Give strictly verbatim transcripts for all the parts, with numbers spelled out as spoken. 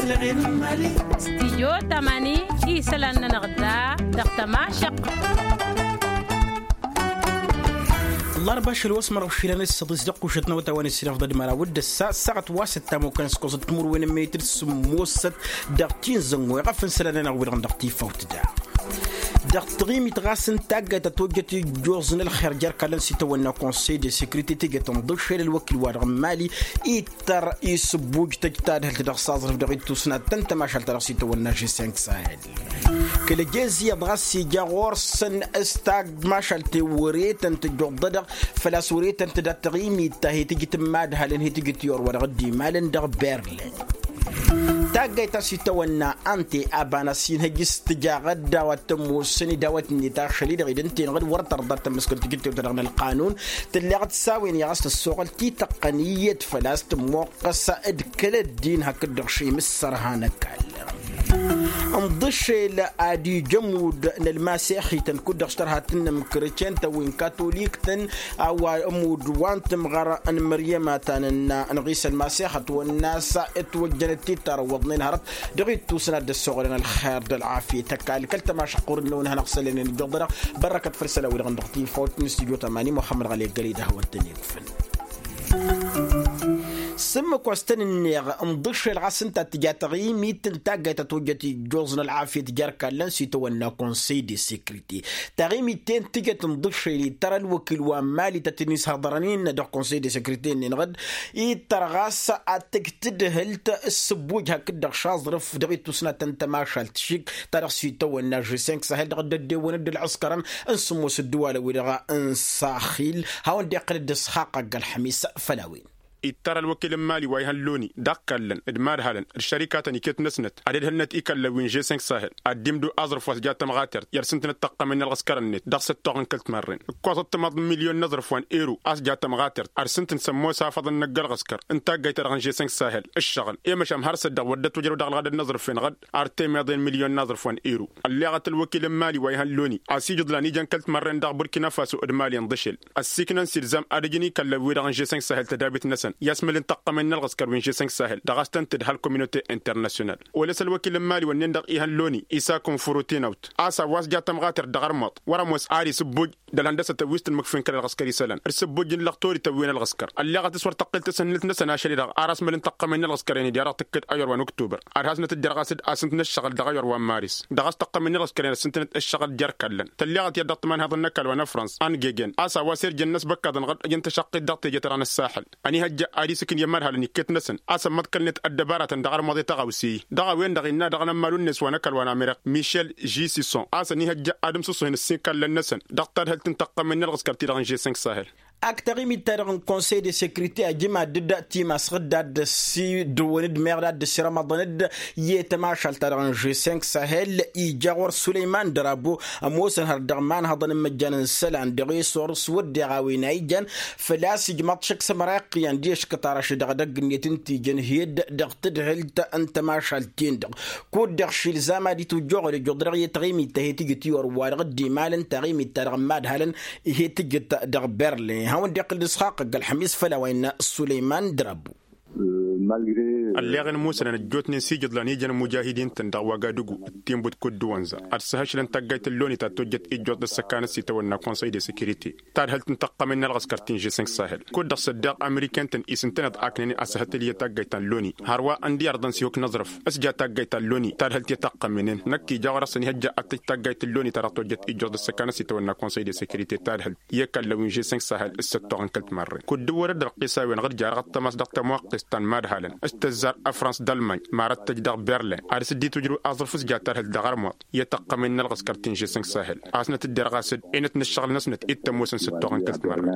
Stijyo tamani isălan-nănăɣ da dăɣ-tămašăq. Ăllarba ašăl wa s-mărăw išilan s-săḍis dăɣ-kušăt n-awătawăn s-inăfḍăd măraw d-ăssa ăssaɣăt wa s-ăttamukăn s-koẓăt timǝrwen n-metăr s-sǝmmosăt dăɣ-tinzăngo iɣăfăn isălan-nănăɣ wi-dăɣ dăɣ-tifawt da dăɣ-taɣimit ɣas n-taggayt ta tojjăt ijjoẓ n-ălxer jer-kallăn s-itawănna konsey de sekrite tejăt ǝnḍǝššel ălwăkil-wa-dăɣ n-mali ittăr isǝbbuj tăj tadhǝlt dăɣ-saẓrǝf dăɣ-ittus n-ad-tăn-tămašalt ta dăɣ-s itawănna žeseng sahel. Kăl-ăjez iyyăḍ ɣas ija ɣur-săn s-tagmašalt i-wăre-tăn tǝjjuḍădăɣ făl-a-s wăre-tăn tǝdat taɣimit ta he-tǝjǝt n-imadhalăn he-tǝjǝt i-orwa dăɣ-dd-imalăn dăɣ-berlin. Taggayt ta s-itawănna ante aban a-s inhăj s-tǝjaɣăt d-a-wa t-ămoosăn idawăt-net ašăl-i-dăɣ ed ǝnta-en-dăɣ d-wăr tărḍa tămmăskăl tǝjǝt tewt-dăɣ n-ălqanun. Tǝlleɣ d-s-a-wen i-ɣas tăssoɣăl tităqqăn iyyăt făl-a-s tămmoqqăs d-kăl-ăddin hakd-dăɣ šim s-sărha n-ăkall. Ǝnḍǝšel ad-ija ămudd n-ălmasex-ităn kud-dăɣ s-tărha tǝnnăm kretyen-tăn wi n-katolik-tăn a-wa ămudd wa n-tǝmɣăr n-măryăm a ta nǝnna n-ɣisa ălmasex ătwănna a-s ătwăjjănăt titarăwwăḍnen hărăt dăɣ-ittus n-ad-dd-ăssoɣălăn ălxer d-ălɣafyăt ăkall kăl-tămašăqqur n-năwăn hanăɣ-sălănen ǝjjuḍănăɣ. Bărrăkăt făll-isălan-wi-dăɣ n-dăɣ-tifawt n-studyo tămani muxămmăd ɣăli ăggălăy d-ahăwăn-tăn-ikfăn. S-ǝmmǝk wa s-tăn-ǝnneɣ ǝnḍǝššel ɣas ǝnta a t-tǝja taɣimit n-taggayt ta tojjăt ijjuẓ n-ălɣafyăt jer-kallăn s-itawănna konsey de sekrite. Taɣimit-ten tǝjăt ǝnḍǝššel ittăr ălwăkil wa n-mali ta tăn-ishăḍărăn innă dăɣ-konsey de sekrite-nin ɣǝd ittăr ɣas ad-tǝj tǝdhǝlt s-sǝbbuj hakd-dăɣ šaẓrǝf dăɣ-ittus n-ad-tăn-tămašalt šik ta dăɣ-s itawănna žeseng sahel dăɣ-dd-ăddewăn d-ǝlɣǝskărăn n-sǝmmos ǝddǝwalăn-wi-dăɣ n-saxil. Hawăn-dd-iqqǝl d-ǝsxaqq agg-ălxămis făll-a-wen. Ittăr ălwăkil n-mali wa ihăn loni d-akkallăn d-imadhalăn d-šărikatăn iket-năsnăt ad-ǝdhǝlnăt ikallăn wi n-žeseng sahel ad-dd-imdǝw aẓrǝf wa s-ja tămɣatert i-ad-sǝntǝnăt taqqămen n-ălɣǝskărăn-net dăɣ-săttoɣ n-kăl-timarren ǝkkoẓăt tămaḍ n-milyon n-aẓrǝf wa n-ero a-s ja tămɣatert ad-sǝntǝn s-ămoos afăḍăn n-ăgg-ălɣǝskăr n-taggayt-ta-dăɣ n-žeseng sahel ǝššăɣǝl i-măšan har s-ăddiɣ wăr dd-ătwăjrăw dăɣ-ălɣădăd n-aẓrǝf-en ɣǝd ar temeḍe n-milyon n-aẓrǝf wa n-ero. Ălleɣăt ălwăkil n-mali wa ihăn loni a-s ijǝḍlan ijăn kăl-timărren dăɣ-burkina faso d-mali ǝnḍǝšel ăssiiknăn s-ilzam ad-ǝjǝn ikallăn-wi-dăɣ n-žeseng sahel tădabit-năsăn i-asmăl n-taqqămen n-ălɣǝskăr wi n-žeseng sahel dăɣ-a-s tăn-tǝdhăl kominute internasyonal. Olăs ălwăkil n-mali wănnen-dăɣ ihăn loni isakun furutinaut a-s a-wa s-ja tămɣatert dăɣ-armuḍ wăr-ămoos ad-isǝbbuj d-ălhăndăsătăn wi s-tǝnmǝkfin kăl-ălɣǝskăr isălan d-sǝbbujjǝn lăxtorităn wi n-ălɣǝskăr ălleɣăt s-wăr tăqqǝl tasǝnnǝlt-năsăn ašăl-i-dăɣ ar asmăl n-taqqămen n-ălɣǝskăr-en-dd i-ad-dăɣ-tǝkkǝd a-yor wa n-uktubăr ad-hasnăt-dd-irɣas d-asǝnt n-ǝššăɣǝl dăɣ-a yor wa n-maris. Dăɣ-a-s taqqămen n-ălɣǝskăr-en ad-sǝntǝnăt ǝššăɣǝl jer-kallăn tălleɣăt i-ad-dăɣ-tǝmanhaḍăn n-ăkall wa n-afrăns ăngegen a-s a-wa s-irjăn n-ăsbăkkaḍăn ɣǝd ǝjăn tašăqqit dăɣ-teje-ta-dăɣ n-ăssaxǝl. Ănihăjja ad-isǝkǝn i-imadhalăn iket-năsăn a-s ămmăḍkălnet ăddăbaratăn dăɣ-armuḍe tăɣawse-i dăɣ-a-wen-dăɣ innă dăɣ-inămmalu-net wa n-ăkall wa n-amerik mišel žisison a-s ănihăjja ad-ǝmsǝṣṣuhen ǝssin ikallăn-năsăn dăɣ-tadhǝlt n-taqqămen n-ălɣǝskăr-ti-dăɣ n-žeseng sahel. Ak taɣimit-ta-dăɣ n-konsey de sekrite ajǝm ad-dd-timas ɣǝdda ad-dd-ăsidăwăn-dd meɣ d-ad-dd-ăsirămăḍăn-dd i-tămašalt-ta-dăɣ n-žeseng sahel ija ɣur-sulăyman dărabo ămoosăn hărăt dăɣ-imanhăḍăn n-imăjjan n-isălan dăɣ-e-sor s-wădden a-wen a ijan făl-a-s ijmăḍ šăkk s-ămăra iqqǝyăn d-eškăt ara ašăl dăɣ-edăgg-net ǝnta ijăn hed-dăɣ tǝdhǝlt n-tămašalt-ten-dăɣ kud-dăɣ šilzam ad-itwǝjjoɣăl ijjuḍ-dăɣ i-taɣimit ta he-tǝjǝt i-orwa dăɣ-dd-imalăn taɣimit-ta-dăɣ n-imadhalăn he-tǝjǝt dăɣ-berlin hawăn-dd-iqqǝl d-isxaqq ăgg-ălxămis făll-a-wa innă sulăyman drabu. Ălleɣ-in musănăn ăjjootnen s-ijǝḍlan ijăn imujahidin-tăn dăɣ-wagadugu d-tinbut kud-dăɣ wănza ad-săhăšlăn taggayt n-loni ta tojjăt ijjuḍ d-ăssăkanăt s-itawănna konsăy de sekirite tadhǝlt n-taqqămen n-ălɣǝskăr ti n-žeseng sahel kud-dăɣ s-ăddeɣ ameriken-tăn isǝntăneḍ aknen ad-săhătăl i-taggayt ta n-loni hărwa ǝnda iyyăr dăɣ-s ihuk n-aẓrǝf s-ja taggayt ta n-loni tadhǝlt i-taqqămen-en năkk ija ɣur-s ănihăjja ad-tăj taggayt n-loni ta dăɣ-tojjăt ijjuḍ d-ăssăkanăt s-itawănna konsăy de sekirite tadhǝlt i-ikallăn wi n-žeseng sahel s-săttoɣ n-kăl-timărren kud-dăɣ wăr dd-ărqis a-wen ɣǝr jarăɣ ăttămas dăɣ-tămoqqest ta n-imadhalăn s-tǝzzar ăfrans d-ălmany marăt tăj dăɣ-berlin ad-s dd-itwǝjrǝw aẓrǝf s-ja tadhǝlt dăɣ-armuḍ i-taqqămen n-ălɣǝskăr ti n-žeseng sahel a-s năt-dd-irɣas-dd enăt n-ǝššăɣǝl-năsnăt i t-ămoosăn s-ăttoɣăn kăl-timărren.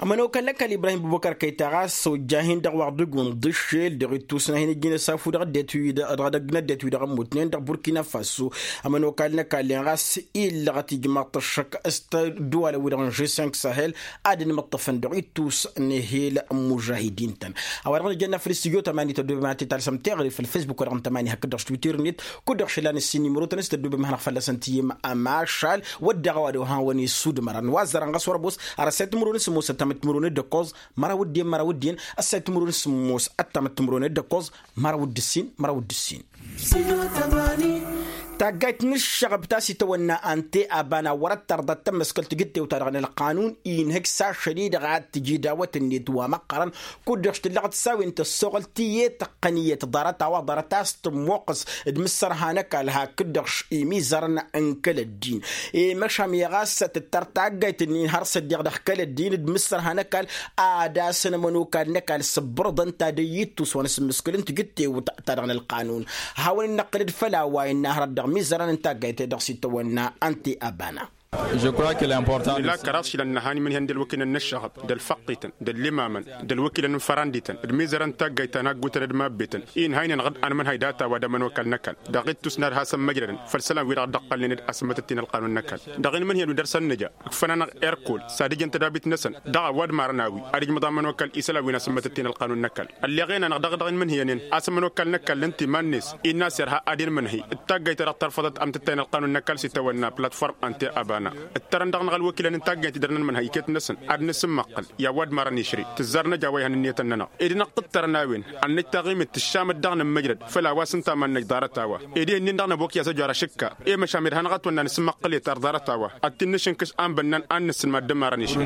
Ămănokal n-ăkall ibrahim bubăkăr kăy-taɣas ojjah-in-dăɣ wa ărdǝg wa n-dd-ǝššel dăɣ-ittus n-ad-hin-ǝjjǝn i-ad-ăsafu dăɣ-ăddinăt wi-dăɣ ămmutnen dăɣ-burkina faso. Ămănokal n-ăkall-en ɣas illăɣăt ijmaḍ-t ăššăk s-ăddǝwalăn-wi-dăɣ n-žeseng sahel ad-ănmǝṭṭăfăn dăɣ-ittus n-ehel n-imužahidin-tăn. A-wa dăɣ-nǝjănna Făll-s tijot ămani tăddobem ad-t-talsăm teɣăre făll-fesbuk wa dăɣ-n tămani hakd-dăɣ s-twitter-net. Kud-dăɣ šălan ǝssin nimărotăn s-tăddobem ad-hanăɣ fălla-săn tiyǝm ămašal wădden a-wa dăɣ-han-wăn-isudmărăn wa ăzzărăn ɣas wăr ămoos. Ar ăssay timǝrwen s-ămoos ăttamăt timǝrwen d-ǝkkoẓ măraw d-en măraw d-en. Ăssay timǝrwen s-ămoos ăttamăt timǝrwen d-ǝkkoẓ măraw d-ǝssin măraw d-ǝssin. Taggayt n-ǝššăɣăb ta s-itawănna ante abana wăr-ăttărḍăt tămmăskălt tijǝttewt-ta-dăɣ n-ălqanun inhǝj s-ašăl-i-dăɣ ad-tǝji dawăt-net wa măqqărăn. Kud-dăɣ s-tǝllăɣăt s-a-wen tăssoɣăl tiyyăt ăqqăn iyyăt ḍarăt a-wa ḍarăt a-s tǝmmoqqăs d-imǝssărha n-ăkall hakd-dăɣ imizărăn n-kăl-ăddin. I-măšan i-ɣas tǝttăr taggayt-nin har s-ăddiɣ dăɣ-kăl-ăddin d-imǝssărha n-ăkall ad-asăn ămănokal n-ăkall s-ǝbbărăḍăn ta d-ăyyittus wa n-asǝmmǝskǝl n-tijǝttewt ta dăɣ-nălqanun. Hawăn-in-năqqǝl d-făll-a-wa innă hărăt dăɣ-imizărăn n-taggayt-e-dăɣ s-itawănna ănte abana. Nǝla kăraḍ šilăn nǝhan imǝnhǝyăn d-ălwăkilăn n-ăššăɣăb d-ălfăqqităn d-ăllimamăn d-ălwăkilăn n-fărandităn d-mizărăn n-taggayt ta n-aggutăn d-mabbetăn. Inhăynen ɣǝd anmǝnhăy data-wa d-ămănokal n-ăkall dăɣ-ittus n-ad-hasăn-măjrădăn făll-isălan-wi-dăɣ dd-ăqqălnen d-asǝmmătăt-in ălqanun n-ăkall. Dăɣ-inmǝnhǝyăn wi dăr-săn nǝja ǝkfăn-anăɣ erkol s-ad-ǝjǝn tădabit-năsăn dăɣ-a-wa d-marăn a-wi ad-ǝjmǝḍ amănokal isălan wi n-asǝmmătăt-in ălqanun n-ăkall. Ălleɣen-anăɣ dăɣ-dăɣ-inmǝnhǝyăn-en a-s ămănokal n-ăkall ǝnta iman-net innă a-s irha ad-inmǝnhǝy d-taggayt ta dăɣ-tărfăḍăt amtǝttay n-ălqanun n-ăkall s-itawănna platform ănte abana. Ǝttărăn dăɣ-năɣ ălwăkilăn n-taggayt-i dăr-nănmǝnhăy iket-năsăn ad-nǝsǝmmăqqǝl i-a-wa d-marăn išri tǝzzar năj a-wa ihăn ǝnniyătăn-nănăɣ. Ed năqqǝttărăn a-wen ad-năj taɣimit tǝššamăt dăɣ-nǝmmăjrăd făll-a-wa s-ǝnta a iman-năj ḍarăt-a-wa. Ed iyyăn-in dăɣ-năbok i-asăjoar ašǝkka i-măšan mi-dd-hanăɣ-ătwănna nǝsǝmmăqqǝl-et ar ḍarăt-a-wa ad-t-in-nǝšǝnkǝš a n-bănnan ad-nǝssǝnmad d-ămmarăn išri.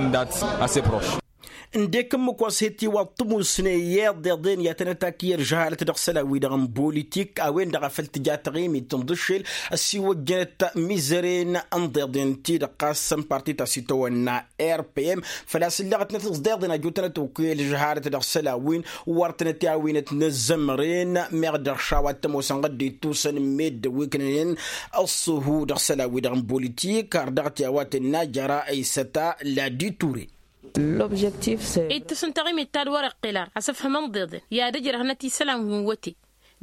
Ǝndek ǝmmǝk wa s-he-tiwaḍ tǝmusne i-iḍeḍen i-ad-tăn-ătakǝy ălžăhalăt dăɣ-isălan-wi-dăɣ n-bolitik a-wen-dăɣ a făl tǝja taɣimit tǝnḍǝššel ăssiwăjjănăt mizăren n-iḍeḍen-ti-dăɣ ɣas n-parti ta s-itawănna rpm. Făl-a-s ǝlleɣătnăt ǝẓḍeḍen ăjutănăt okăy ălžăhalăt dăɣ-isălan-win wăr tănăt-i-awinăt n-ăzzămăren meɣ dăɣ-šawa t-ămoosăn ɣǝddǝy tusăn meddǝn wi ǝknănen ăṣṣuhu dăɣ-isălan-wi-dăɣ n-bolitik har dăɣ-t i-a-wa tǝnna jăra isăta ladi ture. Ittǝs n-taɣimit ta d-wăr-iqqel ar asǝfhǝm ǝnḍeḍen i-ad-ǝjrăhnăt isălan wi n-wăte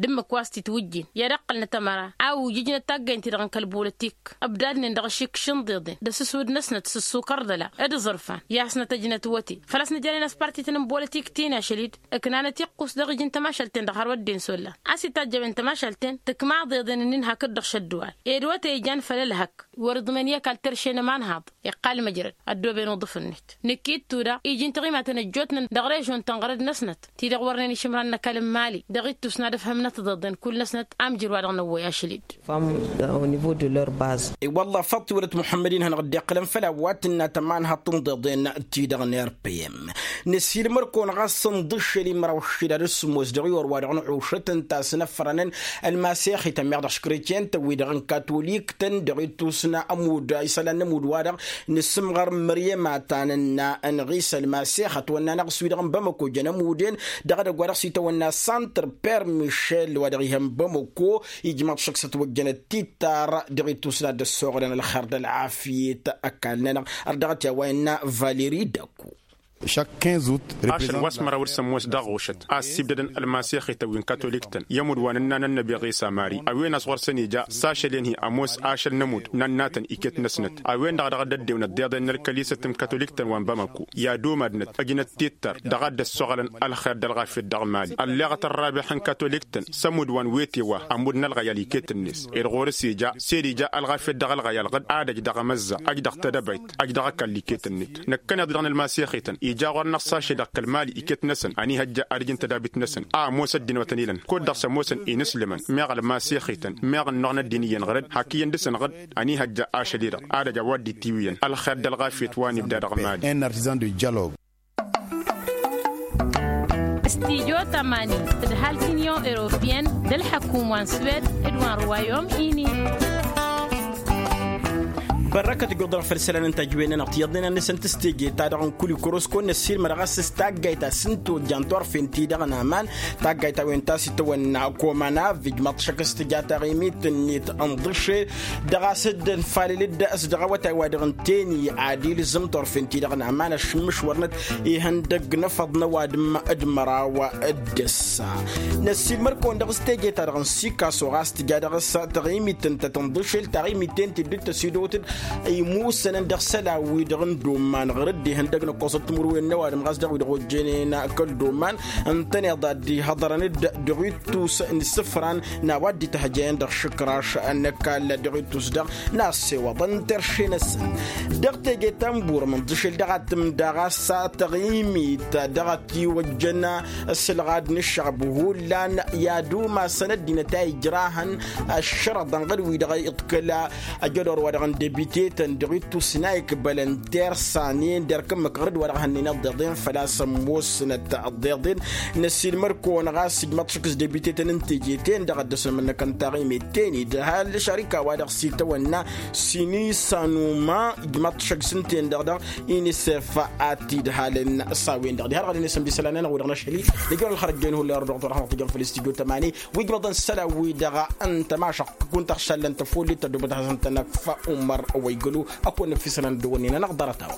d-ǝmmǝk wa s-titwǝjjen i-ad-ǝqqălnăt ămăra a ujǝjnăt taggăyăn-ti-dăɣ n-kăl-bolotik ǝbdadnen dăɣ-ašikš n-iḍeḍen d-asǝswǝd-năsnăt s-ǝssukăr d-ăla d-aẓrǝfan i-asnăt ăjnăt wăte. Făl-a-s nǝjănen a-s parti-tăn n-bolotik ti n-ašăl-dd ǝknanăt iqqus dăɣ-iji n-tămašalt-ten-dăɣ har wădden s-ollan a-s itajj a-wen tămašalt-ten tǝkma iḍeḍen-ǝnnin hakd-dăɣ šădduwal ed wăte ijan făll-ălhăk. Wăr-iḍmăn i-ăkall terše n-ămanhaḍ iqqal măjrăd ăddooben uḍǝf-net. Nǝkk'-i d-tuda iji n-tiɣimaten ăjjootnen dăɣ-režon tănɣărăd-năsnăt ti-dăɣ wărnen išǝmran n-ăkall n-imali dăɣ-ittus n-ad-ǝfhǝmnăt tiḍeḍen kull-năsnăt a ǝmjǝr wa dăɣ-năwwăy ašăl-dd. Fămm au nivo de leur baz. I-wălla făṭṭ-i wălăt muḥămmăd-in hanăɣ-dd-iqqǝlăn făll-a-wa tǝnna tămanhaḍt n-iḍeḍen ti-dăɣ n-rpm. Năsiilmăr-kăwăn ɣas ǝnḍǝššel i-măraw ǝššǝdad s-sǝmmos dăɣ-i orwa-dăɣ n-ăššăt ǝnta a-s năffărănăn ălmasexităn meɣ dăɣ-iškrăycen-tăn wi-dăɣ n-katolik-tăn dăɣ-ittus n-ămudd isălan n-ămudd-wa-dăɣ nǝsǝmɣăr măryem a ta nǝnna ănɣis ălmasex ătwănna n-aɣǝs wi-dăɣ n-bamăko jăn ămudd-en. Dăɣ-edăgg wa dăɣ-s itawănna santr per mišel wa dăɣ-ihăn bamăko ijmaḍ šăkk s-ătwăjjănăt tittar dăɣ-ittus n-ad-dd-ăssoɣlăn ălxer d-ălɣafyet. Ăkall-nănăɣ ărdăɣăt i-a-wa innă valeri dăkku. Ašăl wa s-măraw d-sămmos dăɣ-ɣušăt a ăssibdădăn ălmasexităn wi n-katolik-tăn i-ămudd wa n-ǝnnan ănnăbi ɣisa mari a-wen a-s ɣur-săn ija s-ašăl-en-hi ămoos ašăl n-ămudd n-ănnatăn iket-năsnăt. A-wen-dăɣ dăɣ-dd-ăddewăn ăddeḍen n-ălkălisăt n-katolik-tăn wa n-bamăko i-ad-umadnăt ǝjnăt tittar dăɣ-ad-dd-ăssoɣălăn ălxer d-ălɣafyăt dăɣ-mali ălleɣăt ărrabeḥ n-katolik-tăn s-ămudd wa n-wete wa ămudd n-ălɣăyal iket-net ed ɣur-s ija s-ed ija ălɣafyăt dăɣ-ălɣăyal ɣǝd ad-ăj dăɣ-emăzza ăj dăɣ-tedăbayt ăj dăɣ-ăkall iket-net. Năkkăneḍ-i-dăɣ n-ălmasex-ităn ija ɣur-năɣ s-ašăl dăɣ-kăl-mali iket-năsăn ănihăjja ad-ǝjǝn tădabit-năsăn a ămoos ăddin wa tăn-ilăn kud-dăɣ s-ămoosăn inǝslǝmăn meɣ ălmasex-ităn meɣ ǝnnuɣ n-ăddin iyyăn ɣǝrǝd hak iyyăn dăɣ-săn ɣǝd. Ănihăjja ašăl-i-dăɣ ad-ăj a-wa dd-itiwǝyăn ălxer d-ălɣafyăt wa n-ibda dăɣ-mali. S-tijo tămani d-halk union europeyăn d-ălḥăkum wa n-swed d-wa n-ruwayom ini. Bărrăkăt ǝjjuḍ-dăɣ făll-isălan n-tajǝwen-nănăɣ tiyyăḍnen ad-nǝsǝnt s-teje-ta-dăɣ n-kul ikorosko n-ăssiilmăr ɣas s-taggayt a-s n-tojjan turfen-ti-dăɣ n-aman. Taggayt a-wen ta s-itawănna komanav ijmaḍ šăkk s-tǝja taɣimit-net ǝnḍǝšel dăɣ-a-s dd-ănfalǝl-dd s-dăɣ-awătay wa dăɣ-ǝnten-i ad-ilzǝm turfen-ti-dăɣ n-aman ăššǝmmǝšwărnăt ihăndăgg n-efăḍ n-ăwadǝm d-măraw d-ǝssa. Năssiilmăr-kăwăn dăɣ-s teje-ta-dăɣ n-sikaso ɣas tǝja dăɣ-s taɣimit ǝnta tǝnḍǝšel taɣimit-en ti dd-tăsidăwăt-dd. Imusănăn dăɣ-isălan-wi-dăɣ n-doman ɣur-dd ihăndăg n-ăkkoẓăt timǝrwen n-ăwadǝm ɣas dăɣ-wi-dăɣ ojjănen kăl-doman. Ǝntăneḍ ad-dd-ihăḍărăn-dd dăɣ-ittus n-isǝfran n-a-wa dd-ităhăjăyăn dăɣ-išǝkraš n-ăkall dăɣ-ittus-dăɣ n-asewăḍăn terše-năsăn. Dăɣ-teje ta n-burmǝnḍ ǝššel dăɣ-ad-tǝmda ɣas taɣimit dăɣ-ătiwăjjăn ăssilɣad n-ǝššăɣb hullan i-ad-umasăn ăddinăt a ijrahăn ăššărăḍăn ɣur-wi-dăɣ iḍkăla. Ăjădor wa dăɣ-n debitetăn dăɣ-ittus n-a ikbălăn tersanen derk ǝmmǝk ɣur-dd wa dăɣ-hănnen ăḍḍeḍen făl-a-s ămoosnăt ăḍḍeḍen. Năsiilmăr-kăwăn ɣas ǝjmăḍ šăkk s-debitetăn n-teje-ten-dăɣ ad-dăr-săn ămănnăkăn taɣimet-ten-dd hal šarika wa dăɣ-s itawănna sinisanuma ǝjmăḍ šăkk s-ǝnten-dăɣ dăɣ-inisef a t-idhalăn s-a-wen-dăɣ diha ălɣădăn i-sămdi isălan-nănăɣ wi-dăɣ n-ašăl-i. Nǝjrăw ălxărăt jen hullan ărdăɣ tura hănăɣ-tijăn făll-istudyo tămani wi ǝjmăḍăn isălan-wi-dăɣ n-tămašăɣt tăkun taɣšallăn tăfollit tăddoobăt ad-hasăn-tănăkf umăr wa igălu. Ăkk wănnăk f-isălan dd-wănnin-anăɣ ḍarăt-a-wa.